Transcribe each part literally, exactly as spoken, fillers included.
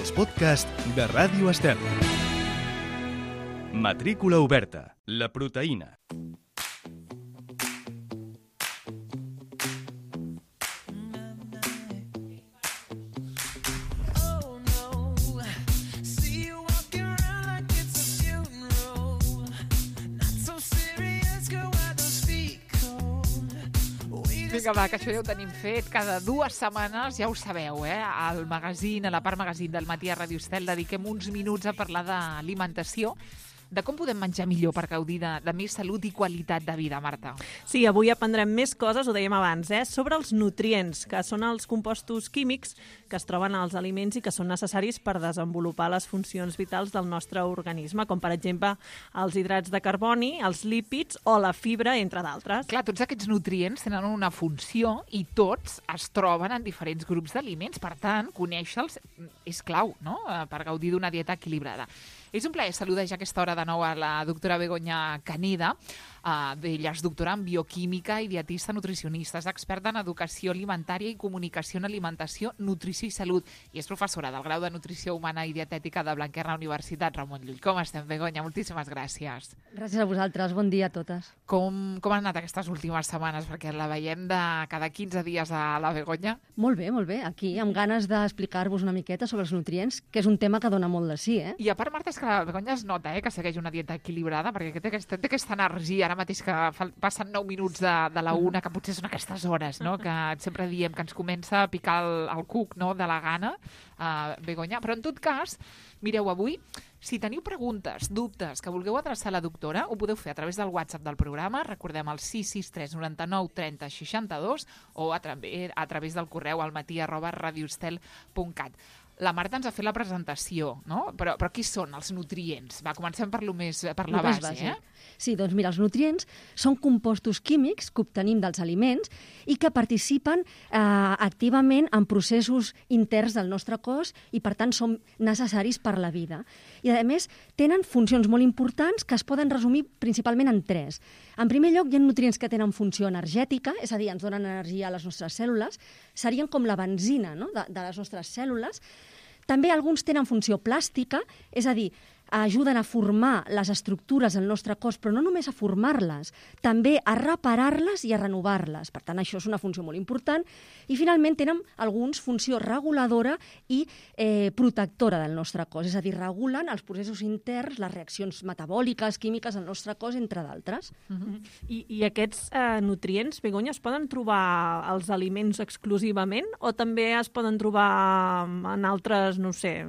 els podcasts de Ràdio Estel. Matrícula oberta. La proteïna. Vinga, va, que això ja ho tenim fet. Cada dues setmanes, ja ho sabeu, eh? Al magazín, a la part magazín del Matí a Ràdio Estel, dediquem uns minuts a parlar d'alimentació, de com podem menjar millor per gaudir de, de més salut i qualitat de vida, Marta. Sí, avui aprendrem més coses, ho dèiem abans, eh? sobre els nutrients, que són els compostos químics que es troben als aliments i que són necessaris per desenvolupar les funcions vitals del nostre organisme, com per exemple els hidrats de carboni, els lípids o la fibra, entre d'altres. Clar, tots aquests nutrients tenen una funció i tots es troben en diferents grups d'aliments. Per tant, conèixer-los és clau, no?, per gaudir d'una dieta equilibrada. És un plaer saludar ja a aquesta hora de nou a la doctora Begoña Caneda. Uh, ella és doctora en bioquímica i dietista nutricionista, és experta en educació alimentària i comunicació en alimentació, nutrició i salut, i és professora del grau de nutrició humana i dietètica de Blanquerna Universitat Ramon Llull. Com estem, Begoña? Moltíssimes gràcies. Gràcies a vosaltres, bon dia a totes. Com, com han anat aquestes últimes setmanes? Perquè la veiem de cada quinze dies a la Begoña. Molt bé, molt bé. Aquí, amb ganes d'explicar-vos una miqueta sobre els nutrients, que és un tema que dona molt de sí, eh? I a part, Marta, és que la Begoña es nota eh, que segueix una dieta equilibrada, perquè té aquesta, té aquesta energia, ara mateix que passen nou minuts de, de la una, que potser són aquestes hores, no?, que sempre diem que ens comença a picar el, el cuc, no?, de la gana, uh, Begoña. Però en tot cas, mireu, avui, si teniu preguntes, dubtes, que vulgueu adreçar a la doctora, ho podeu fer a través del WhatsApp del programa, recordem el sis sis tres noranta-nou trenta seixanta-dos, o a, tra a través del correu al matí arroba radioestel punt cat. La Marta ens ha fet la presentació, no? Però, però qui són els nutrients? Va, comencem per, lo més, per la base, base, eh? Sí, doncs mira, els nutrients són compostos químics que obtenim dels aliments i que participen eh, activament en processos interns del nostre cos i, per tant, són necessaris per la vida. I, a més, tenen funcions molt importants que es poden resumir principalment en tres. En primer lloc, hi ha nutrients que tenen funció energètica, és a dir, ens donen energia a les nostres cèl·lules, serien com la benzina, no?, de, de les nostres cèl·lules. També alguns tenen funció plàstica, és a dir, ajuden a formar les estructures del nostre cos, però no només a formar-les, també a reparar-les i a renovar-les. Per tant, això és una funció molt important. I, finalment, tenen alguns funció reguladora i eh, protectora del nostre cos, és a dir, regulen els processos interns, les reaccions metabòliques, químiques del nostre cos, entre d'altres. Uh-huh. I, I aquests eh, nutrients, Begoña, es poden trobar als aliments exclusivament o també es poden trobar en altres, no sé,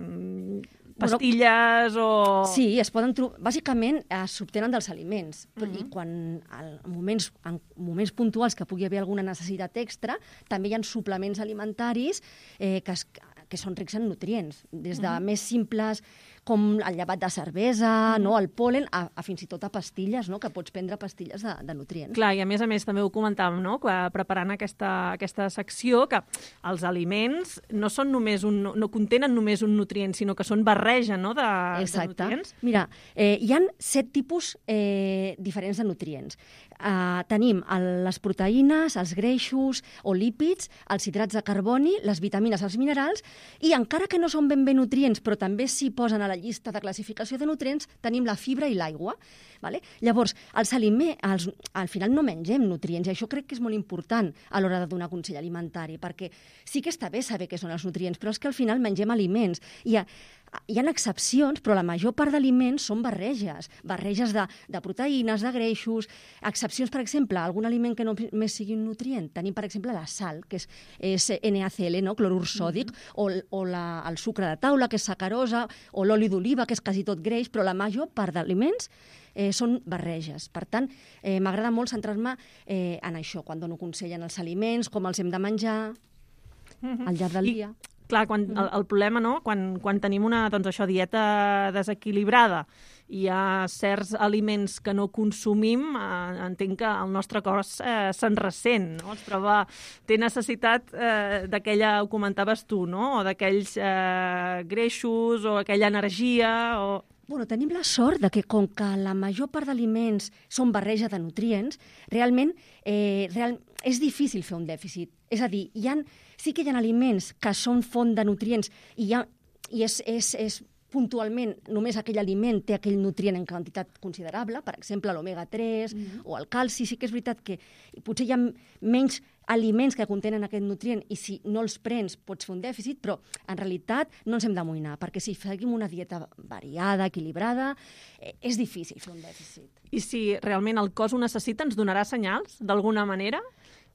pastilles o... Sí, es poden trobar... Bàsicament, s'obtenen dels aliments. Uh-huh. I quan, en moments, en moments puntuals que pugui haver alguna necessitat extra, també hi ha suplements alimentaris eh, que, es, que són rics en nutrients. Des de uh-huh. més simples com el llevat de cervesa, uh-huh. no, el pol·len, a, a fins i tot a pastilles, no?, que pots prendre pastilles de, de nutrients. Clar, i a més a més també ho comentàvem, no?, que preparant aquesta, aquesta secció, que els aliments no són només un, no contenen només un nutrient, sinó que són barreja, no?, de, de nutrients. Mira, eh, hi ha set tipus eh, diferents de nutrients. Uh, tenim el, les proteïnes, els greixos o lípids, els hidrats de carboni, les vitamines, els minerals, i encara que no són ben bé nutrients, però també s'hi posen a la llista de classificació de nutrients, tenim la fibra i l'aigua. Vale? Llavors, els aliments, els, al final no mengem nutrients, i això crec que és molt important a l'hora de donar consell alimentari, perquè sí que està bé saber què són els nutrients, però és que al final mengem aliments. I hi ha, hi ha excepcions, però la major part d'aliments són barreges, barreges de, de proteïnes, de greixos, excepcions, per exemple, algun aliment que no més sigui un nutrient. Tenim, per exemple, la sal, que és, és N A C L, no? Clorur sòdic, mm-hmm. o, o la, el sucre de taula, que és sacarosa, o l'oli d'oliva, que és quasi tot greix, però la major part d'aliments Eh, són barreges. Per tant, eh, m'agrada molt centrar-me eh, en això, quan dono consell en els aliments, com els hem de menjar mm-hmm. al llarg del I, dia. Clar, quan, el, el problema, no?, quan, quan tenim una doncs això, dieta desequilibrada i hi ha certs aliments que no consumim, eh, entenc que el nostre cos eh, se'n ressent, no? Es troba, té necessitat eh, d'aquella, ho comentaves tu, no?, o d'aquells eh, greixos o aquella energia o... Bueno, tenim la sort de que, com que la major part d'aliments són barreja de nutrients, realment eh, real, és difícil fer un dèficit. És a dir, hi ha, sí que hi ha aliments que són font de nutrients i hi ha i és, és, és puntualment només aquell aliment té aquell nutrient en quantitat considerable, per exemple, l'omega tres mm-hmm. o el calci. Sí que és veritat que potser hi ha menys aliments que contenen aquest nutrient i si no els prens pots fer un dèficit, però en realitat no ens hem d'amoïnar, perquè si seguim una dieta variada, equilibrada, eh, és difícil fer un dèficit. I si realment el cos ho necessita, ens donarà senyals d'alguna manera?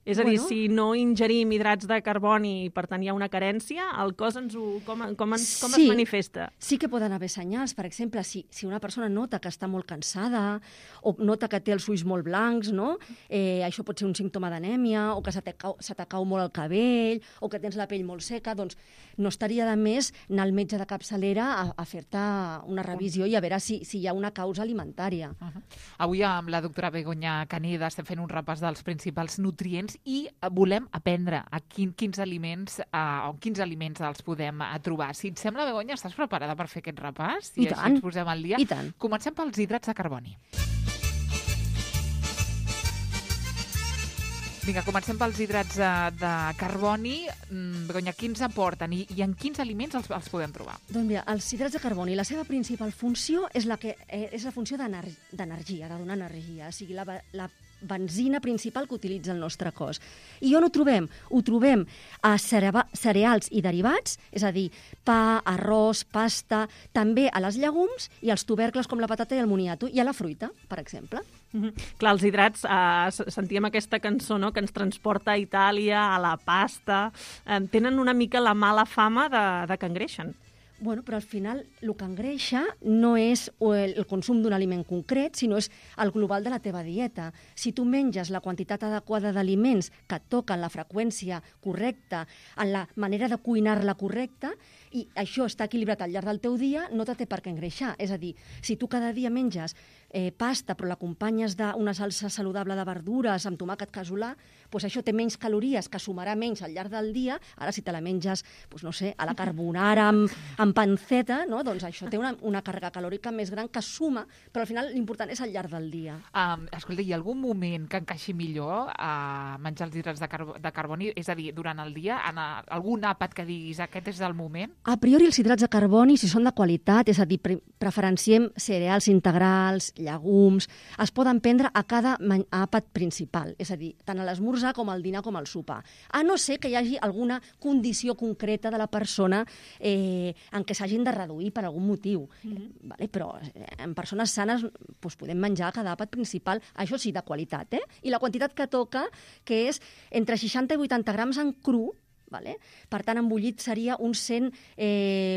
És a dir, Bueno. si no ingerim hidrats de carboni i per tant hi ha una carència, el cos ens ho, com, com, ens, com Sí. es manifesta? Sí que poden haver senyals. Per exemple, si, si una persona nota que està molt cansada o nota que té els ulls molt blancs, no? eh, això pot ser un símptoma d'anèmia, o que se te cau, se te cau molt el cabell, o que tens la pell molt seca, doncs no estaria de més anar al metge de capçalera a, a fer-te una revisió i a veure si, si hi ha una causa alimentària. Uh -huh. Avui amb la doctora Begoña Caneda estem fent un repàs dels principals nutrients i volem aprendre a quin, quins aliments uh, o quins aliments els podem uh, trobar. Si et sembla, Begoña, estàs preparada per fer aquest repàs? I I així tant. ens posem al dia. I tant. Comencem pels hidrats de carboni. Vinga, comencem pels hidrats de, de carboni. Mm, Begoña, quins aporten i, i en quins aliments els, els podem trobar? Doncs mira, els hidrats de carboni, la seva principal funció és la, que, eh, és la funció d'ener d'energia, de donar energia, o sigui, la, la benzina principal que utilitza el nostre cos. I on ho trobem? Ho trobem a cereals i derivats, és a dir, pa, arròs, pasta, també a les llegums i als tubercles com la patata i el moniato, i a la fruita, per exemple. Mm-hmm. Clar, els hidrats, eh, sentíem aquesta cançó, no?, que ens transporta a Itàlia, a la pasta, eh, tenen una mica la mala fama de, de que engreixen. Bueno, però al final el que engreixa no és el, el consum d'un aliment concret, sinó és el global de la teva dieta. Si tu menges la quantitat adequada d'aliments que et toquen la freqüència correcta, en la manera de cuinar-la correcta, i això està equilibrat al llarg del teu dia, no te té per què engreixar. És a dir, si tu cada dia menges eh, pasta però l'acompanyes d'una salsa saludable de verdures amb tomàquet casolà, doncs això té menys calories, que sumarà menys al llarg del dia. Ara, si te la menges, doncs, no sé, a la carbonara amb, amb panceta, no? Doncs això té una, una càrrega calòrica més gran que suma, però al final l'important és al llarg del dia. Um, escolta, hi ha algun moment que encaixi millor a menjar els hidrats de, carbo de carboni? És a dir, durant el dia, en a, algun àpat que diguis aquest és el moment? A priori, els hidrats de carboni, si són de qualitat, és a dir, pre preferenciem cereals integrals, llegums, es poden prendre a cada àpat principal, és a dir, tant a l'esmorzar com al dinar com al sopar. A no ser que hi hagi alguna condició concreta de la persona eh, en què s'hagin de reduir per algun motiu. Mm-hmm. Vale? Però eh, en persones sanes doncs, podem menjar a cada àpat principal, això sí, de qualitat, eh? I la quantitat que toca, que és entre seixanta i vuitanta grams en cru. Vale? Per tant, en bullit seria uns cent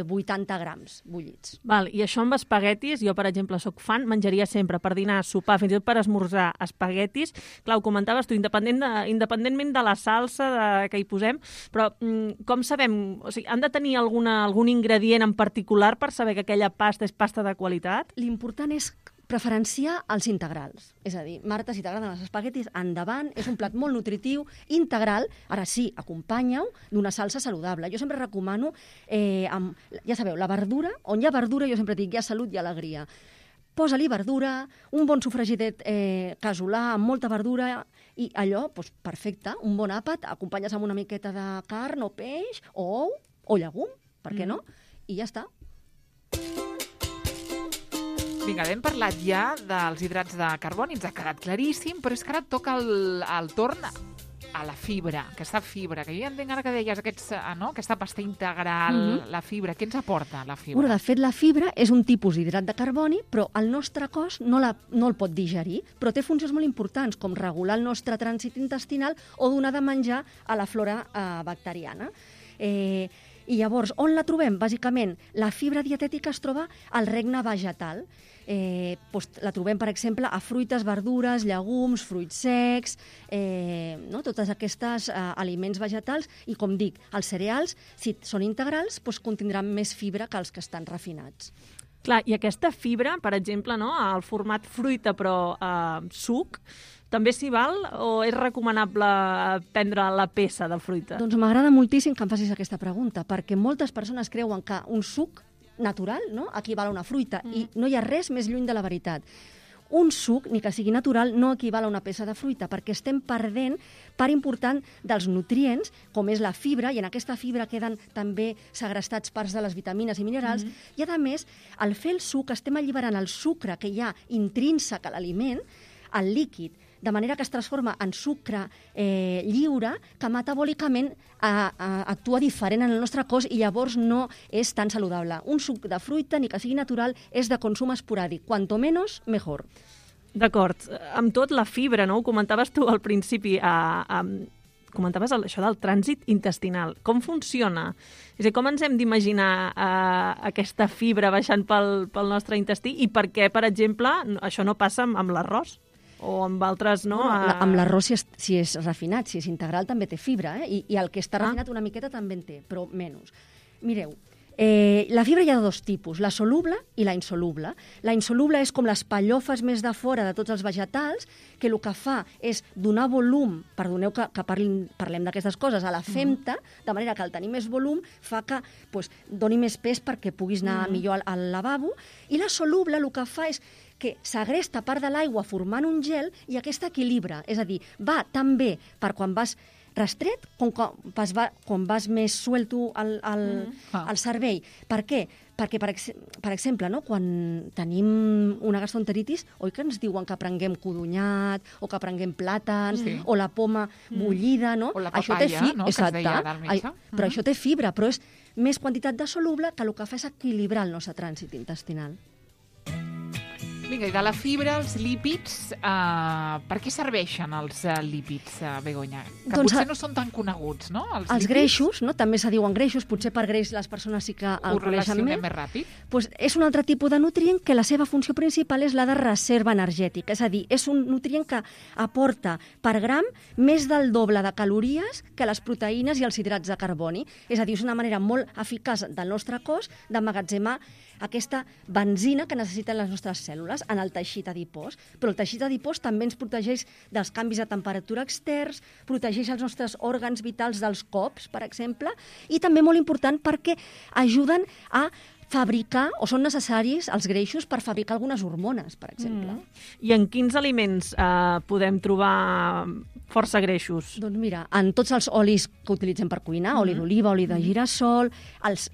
vuitanta grams bullits. Val, i això amb espaguetis, jo, per exemple, sóc fan, menjaria sempre per dinar, sopar, fins i tot per esmorzar espaguetis. Clar, ho comentaves tu, independent de, independentment de la salsa de, que hi posem, però mm, com sabem? O sigui, han de tenir alguna, algun ingredient en particular per saber que aquella pasta és pasta de qualitat? L'important és preferenciar els integrals. És a dir, Marta, si t'agraden els espaguetis, endavant, és un plat molt nutritiu, integral, ara sí, acompanya-ho d'una salsa saludable. Jo sempre recomano, eh, amb, ja sabeu, la verdura, on hi ha verdura, jo sempre dic, hi ha salut i alegria. Posa-li verdura, un bon sofregidet eh, casolà amb molta verdura, i allò, doncs, perfecte, un bon àpat, acompanyes amb una miqueta de carn o peix, o ou, o llegum, per què no? I ja està. Vinga, hem parlat ja dels hidrats de carboni, ens ha quedat claríssim, però és que ara et toca el, el torn a la fibra, aquesta fibra, que jo entenc ara que deies aquests, no? Aquesta pasta integral, mm-hmm. la fibra, què ens aporta la fibra? Bueno, de fet, la fibra és un tipus d'hidrat de carboni, però el nostre cos no, la, no el pot digerir, però té funcions molt importants, com regular el nostre trànsit intestinal o donar de menjar a la flora eh, bacteriana. Eh, I llavors, on la trobem? Bàsicament, la fibra dietètica es troba al regne vegetal. Eh, doncs la trobem, per exemple, a fruites, verdures, llegums, fruits secs, eh, no? Totes aquestes eh, aliments vegetals. I, com dic, els cereals, si són integrals, doncs contindran més fibra que els que estan refinats. Clar, i aquesta fibra, per exemple, no, al format fruita però eh, suc, també s'hi val o és recomanable prendre la peça de fruita? Doncs m'agrada moltíssim que em facis aquesta pregunta, perquè moltes persones creuen que un suc natural, no?, equival a una fruita, mm. i no hi ha res més lluny de la veritat. un suc, ni que sigui natural, no equival a una peça de fruita, perquè estem perdent part important dels nutrients, com és la fibra, i en aquesta fibra queden també segrestats parts de les vitamines i minerals, mm-hmm. i a més, al fer el suc estem alliberant el sucre que hi ha intrínsec a l'aliment, al líquid, de manera que es transforma en sucre eh, lliure, que metabòlicament a, a, actua diferent en el nostre cos i llavors no és tan saludable. Un suc de fruita, ni que sigui natural, és de consum esporàdic. Cuanto menos, mejor. D'acord. Amb tot, la fibra, no? Ho comentaves tu al principi, a, a, comentaves el, això del trànsit intestinal. Com funciona? És a dir, com ens hem d'imaginar uh, aquesta fibra baixant pel, pel nostre intestí i per què, per exemple, això no passa amb, amb l'arròs? O amb altres, no? no la, amb l'arròs, si, és, si és refinat, si és integral, també té fibra, eh? I, i el que està refinat ah. una miqueta també en té, però menys. Mireu, eh, la fibra hi ha de dos tipus, la soluble i la insoluble. La insoluble és com les pallofes més de fora de tots els vegetals, que el que fa és donar volum, perdoneu que, que parlin, parlem d'aquestes coses, a la femta, mm. de manera que al tenir més volum fa que pues, doni més pes perquè puguis anar mm. millor al, al lavabo, i la soluble el que fa és que s'agresta part de l'aigua formant un gel i aquesta equilibra, és a dir, va tan bé per quan vas restret com quan vas, va, quan vas més suelto al, al, mm. ah. al cervell. Per què? Perquè, per, ex per exemple, no, quan tenim una gastroenteritis, oi que ens diuen que prenguem codonyat, o que prenguem plàtans, sí. o la poma bullida, no? O la papaya, això té fi... no?, Exacte. que es deia del metge. Ai, però mm. això té fibra, però és més quantitat de soluble que el que fa és equilibrar el nostre trànsit intestinal. Vinga, i de la fibra, els lípids, uh, per què serveixen els uh, lípids, uh, Begoña? Que doncs, potser no són tan coneguts, no? Els, els greixos, no? També se diuen greixos, potser per greix les persones sí que el coneixen més. més ràpid. Pues és un altre tipus de nutrient que la seva funció principal és la de reserva energètica, és a dir, és un nutrient que aporta per gram més del doble de calories que les proteïnes i els hidrats de carboni. És a dir, és una manera molt eficaç del nostre cos d'emmagatzemar aquesta benzina que necessiten les nostres cèl·lules en el teixit adipós. Però el teixit adipós també ens protegeix dels canvis de temperatura externs, protegeix els nostres òrgans vitals dels cops, per exemple, i també molt important perquè ajuden a fabricar, o són necessaris els greixos per fabricar algunes hormones, per exemple. Mm. I en quins aliments eh, podem trobar força greixos? Doncs mira, en tots els olis que utilitzem per cuinar, mm. oli d'oliva, oli de girassol, els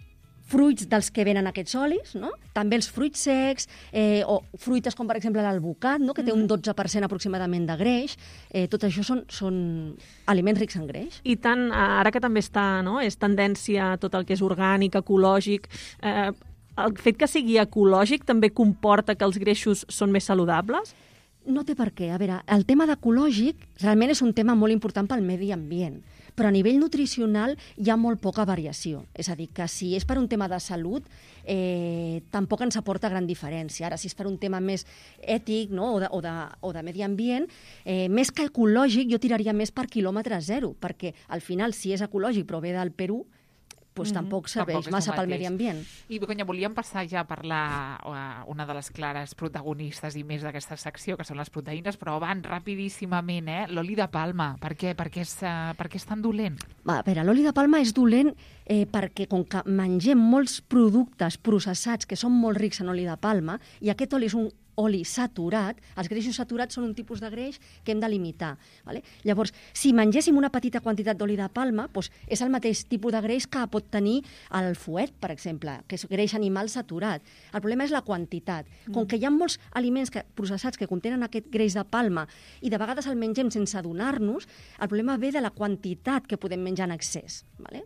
fruits dels que venen aquests olis, no? També els fruits secs, eh, o fruites com per exemple l'alvocat, no? Que té un dotze per cent aproximadament de greix. Eh, tot això són, són aliments rics en greix. I tant, ara que també està, no? És tendència tot el que és orgànic, ecològic, eh, el fet que sigui ecològic també comporta que els greixos són més saludables? No té per què. A veure, el tema d'ecològic realment és un tema molt important pel medi ambient, però a nivell nutricional hi ha molt poca variació. És a dir, que si és per un tema de salut, eh, tampoc ens aporta gran diferència. Ara, si és per un tema més ètic, no? o, de, o, de, o de medi ambient, eh, més que ecològic, jo tiraria més per quilòmetre zero, perquè al final, si és ecològic però ve del Perú, pues mm-hmm. tampoc serveix tampoc massa pel medi ambient. I, Begoña, volíem passar ja a parlar uh, una de les clares protagonistes i més d'aquesta secció, que són les proteïnes, però abans, rapidíssimament, eh? l'oli de palma. Per què? Per què és, uh, per què és tan dolent? Va, a veure, l'oli de palma és dolent eh, perquè com que mengem molts productes processats que són molt rics en oli de palma, i aquest oli és un oli saturat, els greixos saturats són un tipus de greix que hem de limitar. Vale? Llavors, si mengéssim una petita quantitat d'oli de palma, doncs és el mateix tipus de greix que pot tenir el fuet, per exemple, que és greix animal saturat. El problema és la quantitat. Com que hi ha molts aliments que, processats que contenen aquest greix de palma i de vegades el mengem sense adonar-nos, el problema ve de la quantitat que podem menjar en excés. Vale?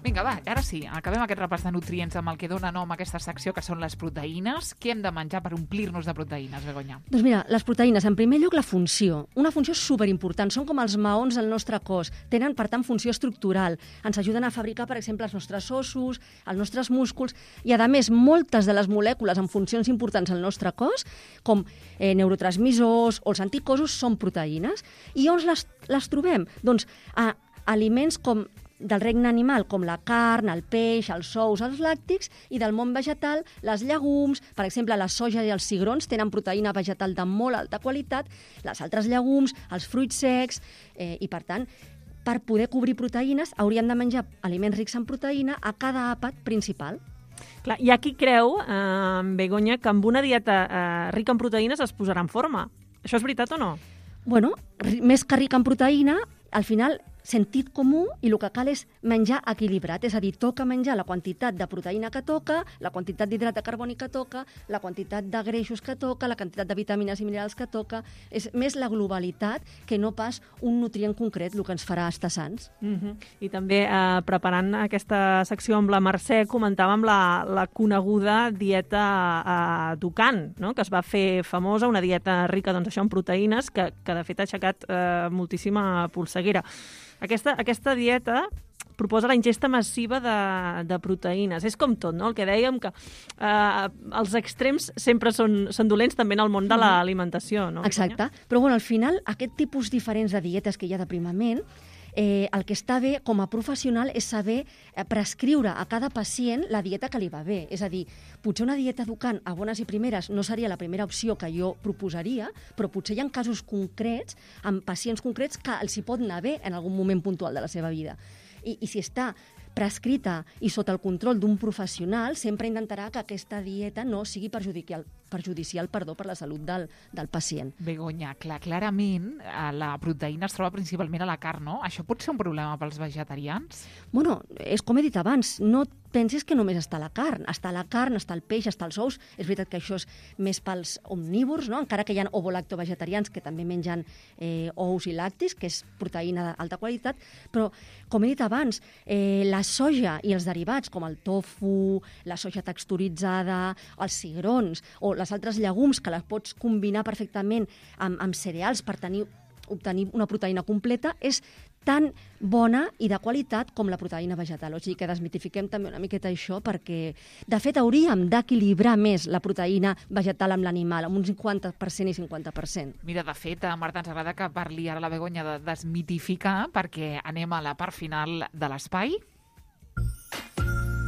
Vinga, va, ara sí, acabem aquest repàs de nutrients amb el que dona nom a aquesta secció, que són les proteïnes. Què hem de menjar per omplir-nos de proteïnes, Begoña? Doncs mira, les proteïnes, en primer lloc, la funció. Una funció superimportant, són com els maons del nostre cos. Tenen, per tant, funció estructural. Ens ajuden a fabricar, per exemple, els nostres ossos, els nostres músculs, i, a més, moltes de les molècules amb funcions importants al nostre cos, com eh, neurotransmissors o els anticossos, són proteïnes. I on les, les trobem? Doncs a aliments com del regne animal, com la carn, el peix, els ous, els làctics, i del món vegetal, les llegums, per exemple, la soja i els cigrons tenen proteïna vegetal de molt alta qualitat, les altres llegums, els fruits secs, eh, i per tant, per poder cobrir proteïnes, hauríem de menjar aliments rics en proteïna a cada àpat principal. Clar, hi ha qui creu, eh, Begoña, que amb una dieta eh, rica en proteïnes es posarà en forma. Això és veritat o no? Bueno, ri- més que rica en proteïna, al final sentit comú i el que cal és menjar equilibrat, és a dir, toca menjar la quantitat de proteïna que toca, la quantitat d'hidrat de carboni que toca, la quantitat de greixos que toca, la quantitat de vitamines i minerals que toca. És més la globalitat que no pas un nutrient concret el que ens farà estar sants. Uh-huh. I també, eh, preparant aquesta secció amb la Mercè, comentàvem la, la coneguda dieta eh, Dukan, no? Que es va fer famosa, una dieta rica doncs, això en proteïnes, que, que de fet ha aixecat eh, moltíssima polseguera. Aquesta, aquesta dieta proposa la ingesta massiva de, de proteïnes. És com tot, no? El que dèiem, que eh, els extrems sempre són, són dolents també en el món de l'alimentació, no? Exacte. Però bueno, al final, aquest tipus diferents de dietes que hi ha d'aprimament, eh, el que està bé com a professional és saber eh, prescriure a cada pacient la dieta que li va bé. És a dir, potser una dieta Dukan a bones i primeres no seria la primera opció que jo proposaria, però potser hi ha casos concrets, amb pacients concrets, que els hi pot anar bé en algun moment puntual de la seva vida. I, i si està prescrita i sota el control d'un professional, sempre intentarà que aquesta dieta no sigui perjudicial, perjudicial perdó, per la salut del, del pacient. Begoña, clar, clarament eh, la proteïna es troba principalment a la carn, no? Això pot ser un problema pels vegetarians? Bueno, és com he dit abans, no pensis que només està la carn. Està la carn, està el peix, està els ous. És veritat que això és més pels omnívors, no? Encara que hi ha ovolactovegetarians que també mengen eh, ous i lactis, que és proteïna d'alta qualitat, però, com he dit abans, eh, la soja i els derivats, com el tofu, la soja texturitzada, els cigrons o les altres llegums, que les pots combinar perfectament amb, amb cereals per tenir, obtenir una proteïna completa, és tan bona i de qualitat com la proteïna vegetal. O sigui que desmitifiquem també una miqueta això, perquè, de fet, hauríem d'equilibrar més la proteïna vegetal amb l'animal, amb un cinquanta per cent i cinquanta per cent. Mira, de fet, a Marta, ens agrada que parli ara la Begoña de desmitificar, perquè anem a la part final de l'espai.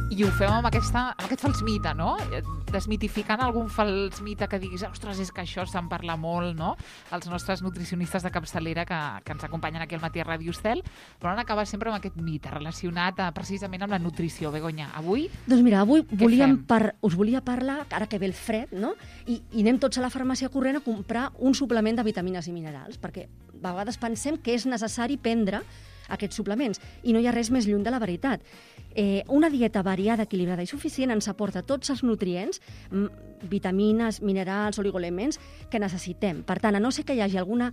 I ho fem amb, aquesta, amb aquest fals mite, no? Desmitificant algun fals mite que diguis, ostres, és que això se'n parla molt, no? Els nostres nutricionistes de capçalera que, que ens acompanyen aquí al matí a Ràdio Estel, però han acabat sempre amb aquest mite relacionat eh, precisament amb la nutrició. Begoña, avui... Doncs mira, avui volíem par... us volia parlar, ara que ve el fred, no? I, i anem tots a la farmàcia corrent a comprar un suplement de vitamines i minerals, perquè a vegades pensem que és necessari prendre aquests suplements, i no hi ha res més lluny de la veritat. Eh, una dieta variada, equilibrada i suficient ens aporta tots els nutrients, vitamines, minerals, oligoelements que necessitem. Per tant, a no ser que hi hagi alguna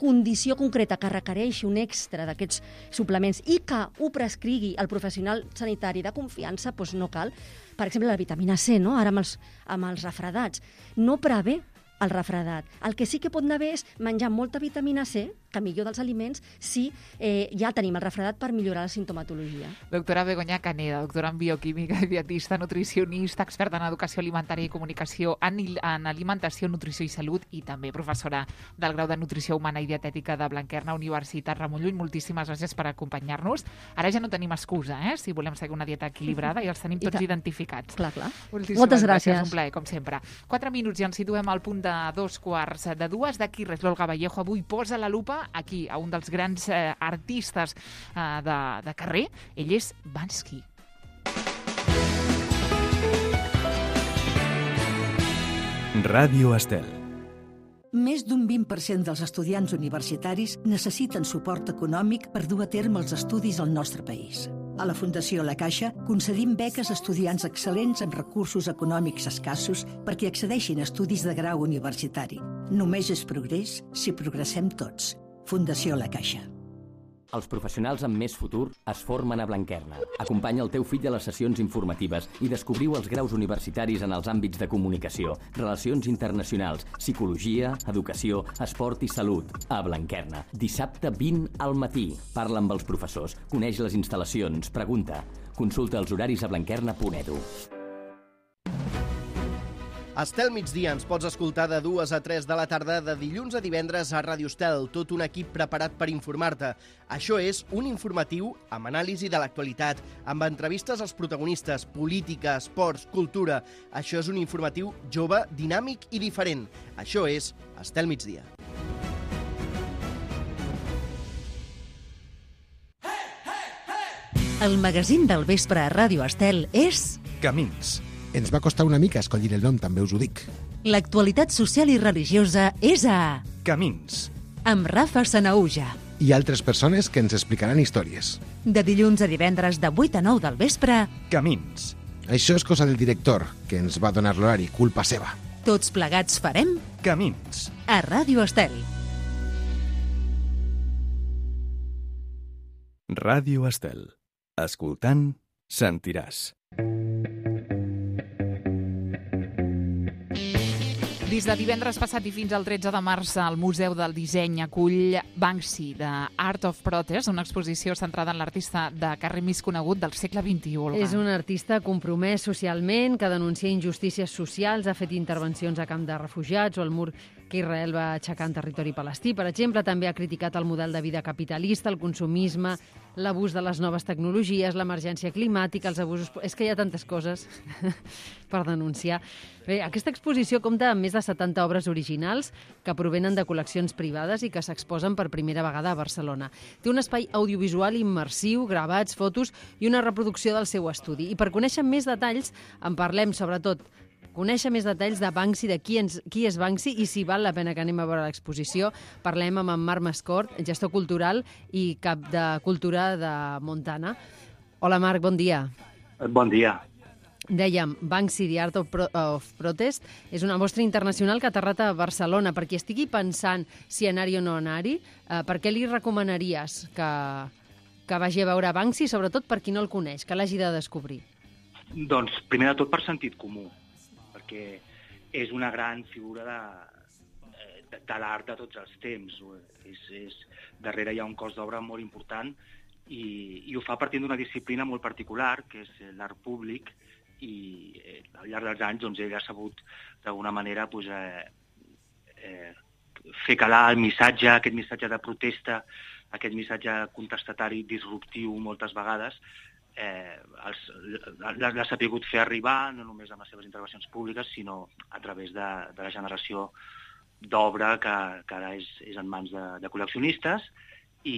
condició concreta que requereixi un extra d'aquests suplements i que ho prescrigui el professional sanitari de confiança, doncs no cal. Per exemple, la vitamina C, no? Ara amb els, amb els refredats. No prevé el refredat. El que sí que pot anar bé és menjar molta vitamina C, que millor dels aliments, si eh, ja tenim el refredat per millorar la sintomatologia. Doctora Begoña Caneda, doctora en bioquímica, dietista, nutricionista, experta en educació alimentària i comunicació, en, en alimentació, nutrició i salut, i també professora del grau de nutrició humana i dietètica de Blanquerna, Universitat Ramon Llull. Moltíssimes gràcies per acompanyar-nos. Ara ja no tenim excusa, eh? Si volem seguir una dieta equilibrada, ja els tenim tots identificats. Clar, clar. Moltíssimes Moltes gràcies. gràcies. Un plaer, com sempre. Quatre minuts i ens situem al punt de dos quarts de dues. D'aquí res, l'Olga Vallejo avui posa la lupa aquí, a un dels grans eh, artistes eh, de, de carrer. Ell és Bansky. Ràdio Estel. Més d'un vint per cent dels estudiants universitaris necessiten suport econòmic per dur a terme els estudis al nostre país. A la Fundació La Caixa concedim beques a estudiants excel·lents amb recursos econòmics escassos perquè accedeixin a estudis de grau universitari. Només és progrés si progressem tots. Fundació La Caixa. Els professionals amb més futur es formen a Blanquerna. Acompanya el teu fill a les sessions informatives i descobriu els graus universitaris en els àmbits de comunicació, relacions internacionals, psicologia, educació, esport i salut. A Blanquerna, dissabte vint al matí. Parla amb els professors, coneix les instal·lacions, pregunta. Consulta els horaris a blanquerna punt edu. Estel migdia ens pots escoltar de dues a tres de la tarda de dilluns a divendres a Ràdio Estel, tot un equip preparat per informar-te. Això és un informatiu amb anàlisi de l'actualitat, amb entrevistes als protagonistes, política, esports, cultura. Això és un informatiu jove, dinàmic i diferent. Això és Estel migdia. El magazín del vespre a Ràdio Estel és... Camins. Ens va costar una mica escollir el nom, també us ho dic. L'actualitat social i religiosa és a Camins. amb Rafa Sanaúja. I altres persones que ens explicaran històries. De dilluns a divendres de vuit a nou del vespre, Camins. Això és cosa del director, que ens va donar l'horari, culpa seva. tots plegats farem Camins. a Ràdio Estel. Ràdio Estel. Escoltant, sentiràs. Des de divendres passat i fins al tretze de març, el Museu del Disseny acull Banksy, de Art of Protest, una exposició centrada en l'artista de carrer més conegut del segle vint-i-u. Olga. És un artista compromès socialment, que denuncia injustícies socials, ha fet intervencions a camp de refugiats o al mur que Israel va aixecar en territori palestí. Per exemple, també ha criticat el model de vida capitalista, el consumisme, l'abús de les noves tecnologies, l'emergència climàtica, els abusos... És que hi ha tantes coses per denunciar. Bé, aquesta exposició compta amb més de setanta obres originals que provenen de col·leccions privades i que s'exposen per primera vegada a Barcelona. Té un espai audiovisual immersiu, gravats, fotos i una reproducció del seu estudi. I per conèixer més detalls en parlem, sobretot, conèixer més detalls de Banksy, de qui, ens, qui és Banksy i si val la pena que anem a veure l'exposició. Parlem amb en Marc Mascort, gestor cultural i cap de cultura de Montana. Hola, Marc, bon dia. Bon dia. Dèiem, Banksy, The Art of, Pro of Protest, és una mostra internacional que ha aterrat a Barcelona. Per qui estigui pensant si anar-hi o no anar-hi, eh, per què li recomanaries que, que vagi a veure Banksy, sobretot per qui no el coneix, que l'hagi de descobrir? Doncs, primer de tot, per sentit comú, perquè és una gran figura de, de, de l'art de tots els temps. És, és, darrere hi ha un cos d'obra molt important i, i ho fa partint d'una disciplina molt particular, que és l'art públic, i eh, al llarg dels anys doncs, ell ha sabut d'alguna manera pues, eh, eh, fer calar el missatge, aquest missatge de protesta, aquest missatge contestatari disruptiu moltes vegades, eh, l'ha sapigut fer arribar, no només amb les seves intervencions públiques, sinó a través de, de la generació d'obra que, que ara és, és en mans de, de col·leccionistes, i,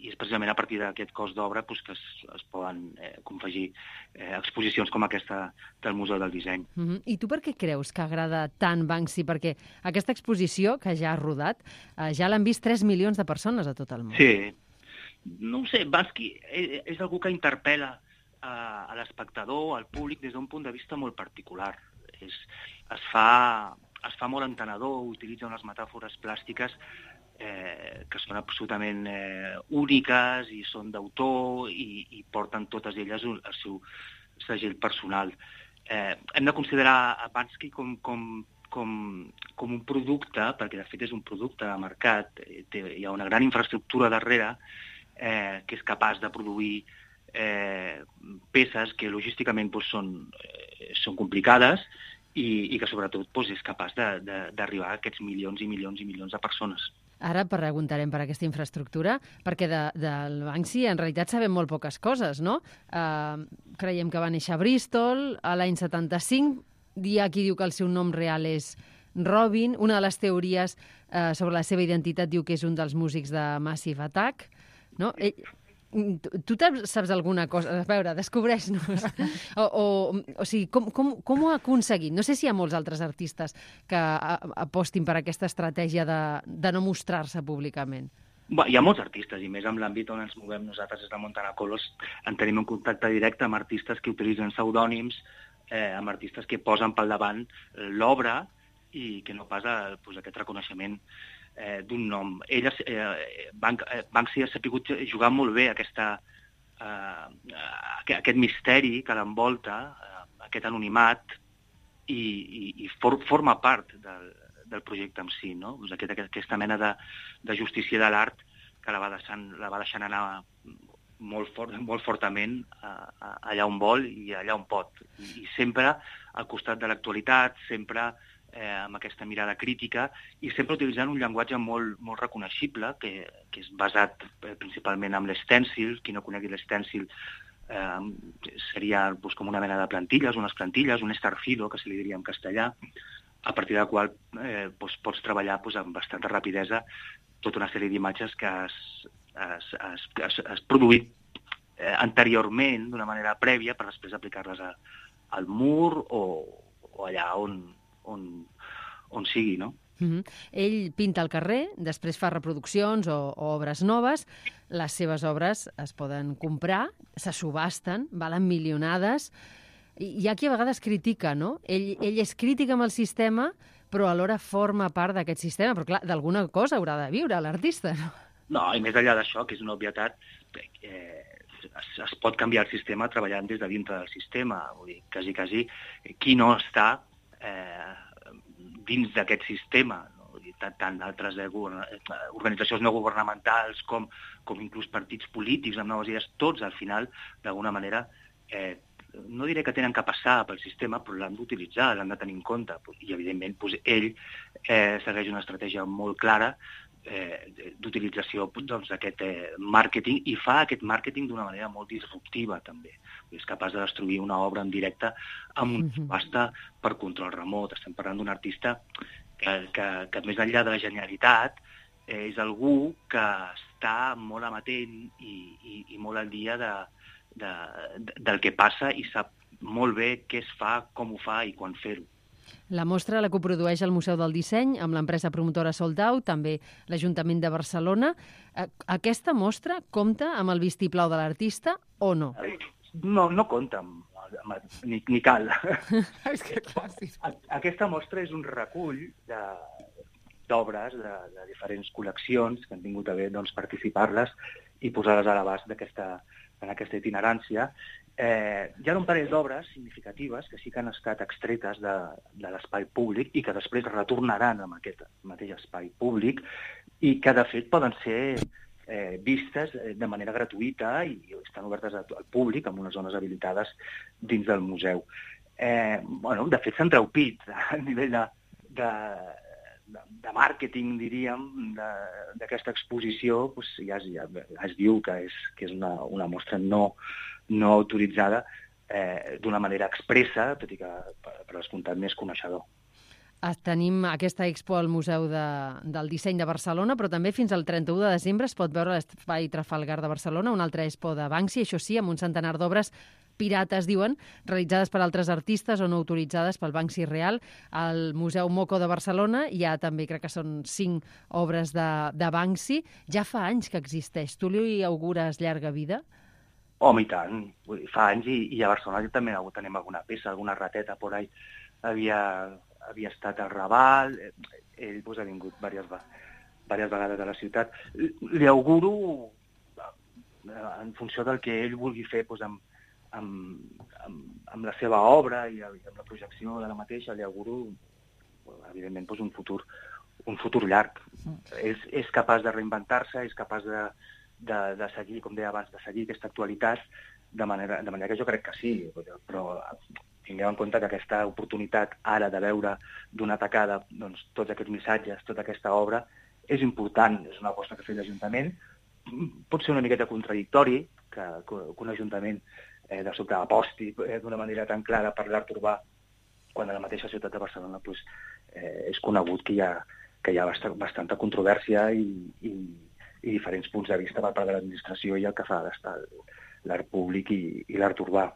i és precisament a partir d'aquest cos d'obra pues, que es, es poden eh, confegir eh, exposicions com aquesta del Museu del Disseny. Mm-hmm. I tu per què creus que agrada tant Banksy? Perquè aquesta exposició, que ja ha rodat, eh, ja l'han vist tres milions de persones a tot el món. Sí. No ho sé, Banksy és, és algú que interpel·la a, a l'espectador, al públic, des d'un punt de vista molt particular. És, es, fa, es fa molt entenedor, utilitza unes metàfores plàstiques Eh, que són absolutament eh, úniques i són d'autor i, i porten totes elles un, el seu segell personal. Eh, hem de considerar a Banksy com, com, com, com un producte, perquè de fet és un producte de mercat, eh, té, hi ha una gran infraestructura darrere eh, que és capaç de produir eh, peces que logísticament doncs, són, eh, són complicades i, i que sobretot doncs, és capaç d'arribar a aquests milions i milions i milions de persones. Ara preguntarem per aquesta infraestructura, perquè de, del Banksy en realitat sabem molt poques coses, no? Uh, creiem que va néixer a Bristol a l'any setanta-cinc, hi ha qui diu que el seu nom real és Robin, una de les teories uh, sobre la seva identitat diu que és un dels músics de Massive Attack, no? Ell, tu saps alguna cosa? A veure, descobreix-nos. O, o, o sigui, com, com, com ho ha aconseguit? No sé si hi ha molts altres artistes que apostin per aquesta estratègia de, de no mostrar-se públicament. Bé, hi ha molts artistes, i més en l'àmbit on ens movem nosaltres des de Montana Colors, en tenim un contacte directe amb artistes que utilitzen pseudònims, eh, amb artistes que posen pel davant l'obra i que no pas a, pues, aquest reconeixement Eh, d'un nom. Ell, eh, Bank, eh, Banksy ha sapigut jugar molt bé aquesta, eh, aquest misteri que l'envolta, eh, aquest anonimat, i, i, i for, forma part del, del projecte en si, no? Pues aquest, aquesta mena de, de justícia de l'art que la va deixant, la va deixant anar molt, fort, molt fortament a, a, allà on vol i allà on pot. I, i sempre al costat de l'actualitat, sempre Eh, amb aquesta mirada crítica i sempre utilitzant un llenguatge molt, molt reconeixible, que, que és basat eh, principalment en l'estèncil. Qui no conegui l'estèncil eh, seria pues, com una mena de plantilles, unes plantilles, un estarfilo, que se li diria en castellà, a partir del qual eh, pues, pots treballar pues, amb bastanta rapidesa tota una sèrie d'imatges que has, has, has, has produït eh, anteriorment, d'una manera prèvia, per després aplicar-les a, al mur o, o allà on, on, on sigui, no? Mm-hmm. Ell pinta al carrer, després fa reproduccions o, o obres noves. Les seves obres es poden comprar, se subasten, valen milionades. I hi ha qui a vegades critica, no? Ell, ell és crític amb el sistema, però alhora forma part d'aquest sistema. Però clar, d'alguna cosa haurà de viure l'artista, no? No, i més enllà d'això, que és una obvietat, eh, es, es pot canviar el sistema treballant des de dintre del sistema. Vull dir, quasi, quasi, qui no està eh, dins d'aquest sistema, no? tant, tant altres eh, organitzacions no governamentals com, com inclús partits polítics amb noves idees, tots al final, d'alguna manera, eh, no diré que tenen que passar pel sistema, però l'han d'utilitzar, l'han de tenir en compte. I, evidentment, doncs, ell eh, segueix una estratègia molt clara eh, d'utilització doncs, d'aquest eh, màrqueting, i fa aquest màrqueting d'una manera molt disruptiva, també. És capaç de destruir una obra en directe amb una subhasta per control remot. Estem parlant d'un artista que, que, que més enllà de la genialitat, eh, és algú que està molt amatent i, i, i molt al dia de, de, de, del que passa i sap molt bé què es fa, com ho fa i quan fer-ho. La mostra la coprodueix el Museu del Disseny amb l'empresa promotora Sold Out, també l'Ajuntament de Barcelona. Aquesta mostra compta amb el vistiplau de l'artista o no? No, no compta, ni, ni cal. És que clar, sí. Aquesta mostra és un recull de, d'obres de, de diferents col·leccions que han tingut a bé doncs, participar-les i posar-les a l'abast d'aquesta, en aquesta itinerància. Eh, hi ha un parell d'obres significatives que sí que han estat extretes de, de l'espai públic i que després retornaran en aquest mateix espai públic i que, de fet, poden ser eh, vistes de manera gratuïta i estan obertes al públic en unes zones habilitades dins del museu. Eh, bueno, de fet, s'ha entreupit a nivell de, de, de, de màrqueting, diríem, d'aquesta exposició. Pues, ja, es, ja, ja es diu que és, que és una, una mostra no no autoritzada eh, d'una manera expressa, tot i que per, per descomptat més coneixedor. Tenim aquesta expo al Museu de, del Disseny de Barcelona, però també fins al trenta-u de desembre es pot veure a l'Espai Trafalgar de Barcelona, una altra expo de Banksy, això sí, amb un centenar d'obres pirates, diuen, realitzades per altres artistes o no autoritzades pel Banksy real. Al Museu Moco de Barcelona hi ha també, crec que són cinc obres de, de Banksy. Ja fa anys que existeix. Tu li augures llarga vida? Home, i tant. Fa anys, i, i a Barcelona també tenim alguna peça, alguna rateta por ahí. Havia, havia estat al Raval, ell pues, ha vingut diverses, diverses vegades a la ciutat. Li auguro, en funció del que ell vulgui fer pues, amb, amb, amb, amb la seva obra i amb la projecció de la mateixa, li auguro, evidentment, pues, un, futur, un futur llarg. Mm. És, és capaç de reinventar-se, és capaç de De, de seguir, com deia abans, de seguir aquesta actualitat de manera, de manera que jo crec que sí, però tingueu en compte que aquesta oportunitat ara de veure d'una tacada doncs, tots aquests missatges, tota aquesta obra, és important, és una aposta que ha fet l'Ajuntament. Pot ser una miqueta contradictori que, que un Ajuntament eh, de sobte aposti eh, d'una manera tan clara per l'art urbà quan a la mateixa ciutat de Barcelona pues, eh, és conegut que hi ha, que hi ha bastant, bastanta controvèrsia i, i i diferents punts de vista per part de l'administració i el que fa d'estar l'art públic i, i l'art urbà.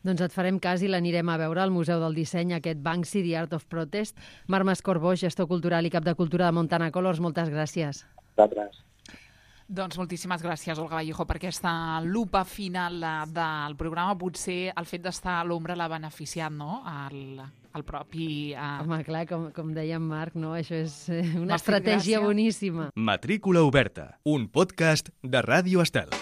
Doncs et farem cas i l'anirem a veure al Museu del Disseny, aquest Banksy, The Art of Protest. Marc Mascor-Boix, gestor cultural i cap de cultura de Montana Colors, moltes gràcies. Gràcies. Doncs moltíssimes gràcies, Olga Vallejo, per aquesta lupa final del programa. Potser el fet d'estar a l'ombra l'ha beneficiat, no?, el, el propi... Uh... Home, clar, com, com deia en Marc, no? Això és una estratègia boníssima. Matrícula oberta, un podcast de Ràdio Estel.